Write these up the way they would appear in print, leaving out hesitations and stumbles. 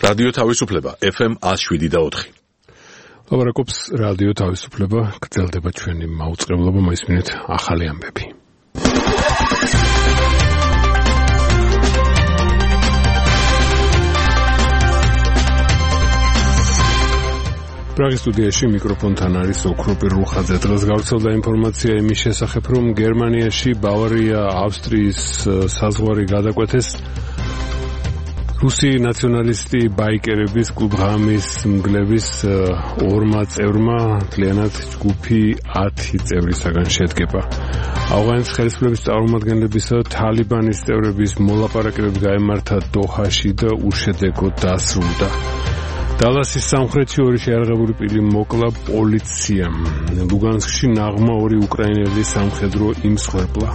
რადიო თავისუფლება FM 107.4. ლაპარაკობს რადიო თავისუფლება, გრძელდება ჩვენი მაუწყებლობა, მოისმინეთ ახალი ამბები. პრაღის სტუდიაში მიკროფონთან არის ოქროპირ რუხაძე. დღეს გავრცელდა ინფორმაცია იმის შესახებ, რომ გერმანიაში ბავარია ავსტრიის საზღვარი გადაკვეთეს რუსი ნაციონალისტი ბაიკერების კლუბ ღამის მგლების ორმა წევრმა, მთლიანად ჯგუფი 10 წევრისაგან შედგება. ავღანის ხელისუფლების წარმომადგენლებისა თალიბანის წევრების მოლაპარაკებები გაემართა დოჰაში და უშედეგოდ დასრულდა. დალასის სამხრეთში ორი შეიარაღებული პირი მოკლა პოლიციამ. ლუგანსკში ნაღმა ორი უკრაინელი სამხედრო იმსხვერპლა.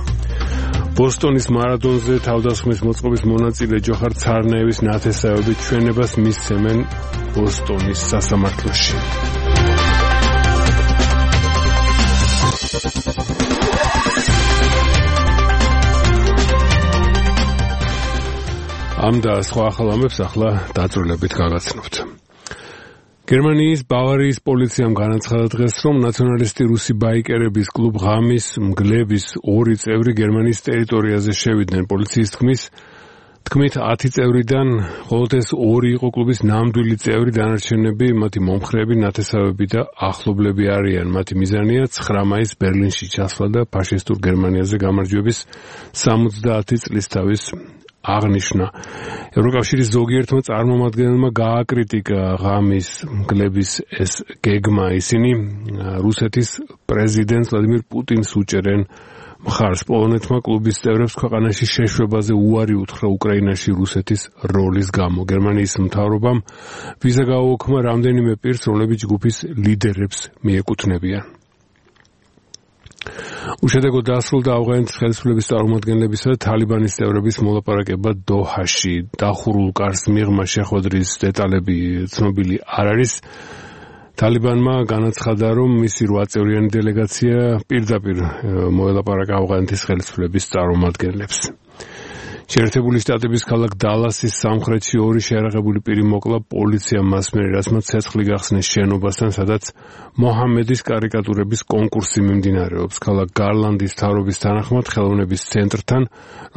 ბოსტონის მარადონზე თავდასხმის მოწყობის მონაწილე ჯოხარ ცარნაევის ნათესავები ჩვენებას მისცემენ ბოსტონის სასამართლოში. ამ და სხვა ახალ ამბებს ახლა დაწვრილებით გაგაცნობთ. გერმანიის ბავარიის პოლიციამ განაცხადა დღეს, რომ ნაციონალისტი რუსი ბაიკერების კლუბ ღამის მგლების ორი წევრი გერმანიის ტერიტორიაზე შევიდნენ. პოლიციის თქმით 10 წევრიდან მხოლოდ ეს ორი იყო კლუბის ნამდვილი წევრი, დანარჩენები მათი მომხრეები, ნათესავები და ახლობლები არიან. მათი მიზანია 9 მაისს ბერლინში ჩასვლა და ფაშისტურ გერმანიაზე გამარჯვების 70 წლის თავის აღნიშნა. ევროკავშირის ზოგიერთმა წარმომადგენელმა გააკრიტიკა ღამის მგლების ეს გეგმა. ისინი რუსეთის პრეზიდენტ ვლადიმირ პუტინს უჭერენ მხარს. პოლონეთმა კლუბის წევრებს ქვეყანაში შეშვებაზე უარი უთხრა უკრაინაში რუსეთის როლის გამო. გერმანიის მთავრობამ ვიზა გააუქმა რამდენიმე პირს, რომლებიც ჯგუფის ლიდერებს მიეკუთვნებიან. უშედეგოდ დასრულდა ავღანის ხელისუფლების წარმომადგენლებისა და თალიბანის წევრების მოლაპარაკება დოჰაში. დახურულ კარს მიღმა შეხვედრის დეტალები ცნობილი არ არის. თალიბანმა განაცხადა, რომ მისი 8 წევრიანი დელეგაცია პირდაპირ მოელაპარაკა ავღანეთის ხელისუფლების წარმომადგენლებს. შეერთებული შტატების ქალაქ დალასის სამხრეთში ორი შეიარაღებული პირი მოკლა პოლიციამ მას მერე, რაც მათ ცეცხლი გახსნეს შენობასთან, სადაც მოჰამედის კარიკატურების კონკურსი მიმდინარეობს. ქალაქ გარლანდის მთავრობის თანახმად ხელოვნების ცენტრთან,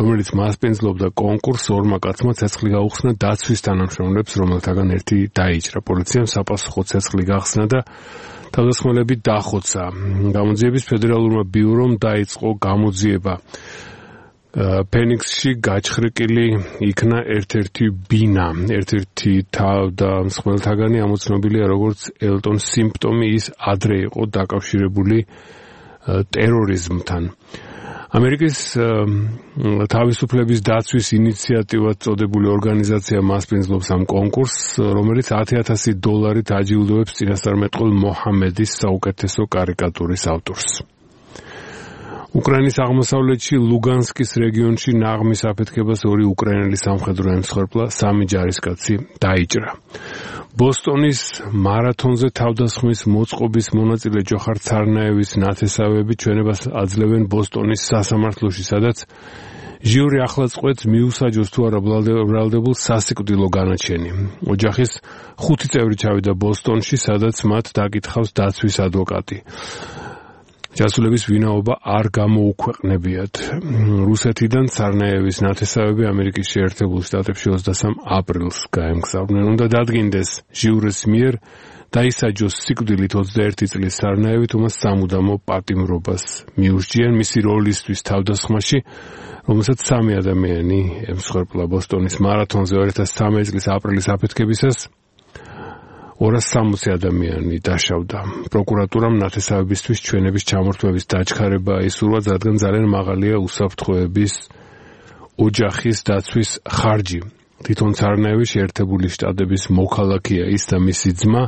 რომელიც მასპინძლობდა კონკურსს, ორმა კაცმა ცეცხლი გაუხსნა დაცვის თანამშრომლებს, რომელთაგან ერთი დაიჭრა. პოლიციამ საფასუხო ცეცხლი გახსნა და თავდასხმელები დახოცა. გამოძიების ფედერალურმა ბიურომ დაიწყო გამოძიება. ფენიქსში გაჩხრიკილი იქნა ერთ-ერთი ბინა. ერთ-ერთი თავდამსხმელთაგანი ამოცნობილია როგორც ელტონ სიმპტომი, ის ადრე იყო დაკავშირებული ტერორიზმთან. ამერიკის თავისუფლების დაცვის ინიციატივად წოდებული ორგანიზაცია მასპინძლობს ამ კონკურსს, რომელიც $10,000 აჯილდოებს წინასწარმეტყველ მოჰამედის საუკეთესო კარიკატურის ავტორს. უკრაინის აღმოსავლეთში ლუგანსკის რეგიონში ნაღმის აფეთქებას ორი უკრაინელი სამხედრო ემსხვერპლა, 3 ჯარისკაცი დაიჭრა. ბოსტონის მარათონზე თავდასხმის მოწყობის მონაწილე ჯოხარ ცარნაევის ნათესავები ჩვენებას აძლევენ ბოსტონის სასამართლოში, სადაც ჟიური ახლა წყვეტს მიუსაჯოს თუ არა ბრალდებულ სასიკვდილო განაჩენი. ოჯახის 5 წევრი ჩავიდა ბოსტონში, სადაც მათ დაკითხავს დაცვის ადვოკატი. ჯასულების ვინაობა არ გამოუქვეყნებიათ. რუსეთიდან ცარნაევის ნათესავები ამერიკის შეერთებულ შტატებში 23 აპრილს გაემგზავრნენ. უნდა დადგინდეს ჟიურის მიერ დაისაჯოს სიკვდილით 21 წლის ცარნაევი, თუმცა სამუდამო პატიმრობას მიუსჯიან მისი როლისთვის თავდასხმაში, რომელსაც 3 ადამიანი ემსხვერპლა. ბოსტონის მარათონზე 2013 წლის აპრილის აფეთქებისას 260 ადამიანი დაშავდა. პროკურატურამ ნათესავებისთვის ჩვენების ჩამორთმების დაჩქარება ისურვა, რადგან ძალიან მაღალია უსაფრთხოების ოჯახის დაცვის ხარჯი. თვითონ ცარნაევი შეერთებული შტატების მოქალაქეა, ის და მისი ძმა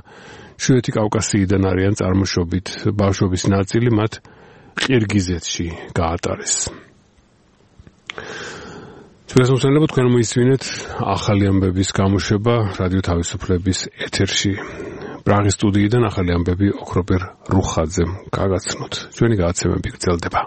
შვიეთი კავკასიიდან არიან წარმოშობით. ბავშვობის ნაწილი მათ ყირგიზეთში გაატარეს. ჩვენს მოსწავლეებთ თქვენ მოისმინეთ ახალი ამბების გამოშვება რადიო თავისუფლების ეთერში. პრაღის სტუდიიდან ახალი ამბები ოქროპირ რუხაძემ გაგაცნოთ. ჩვენი გადაცემები გრძელდება.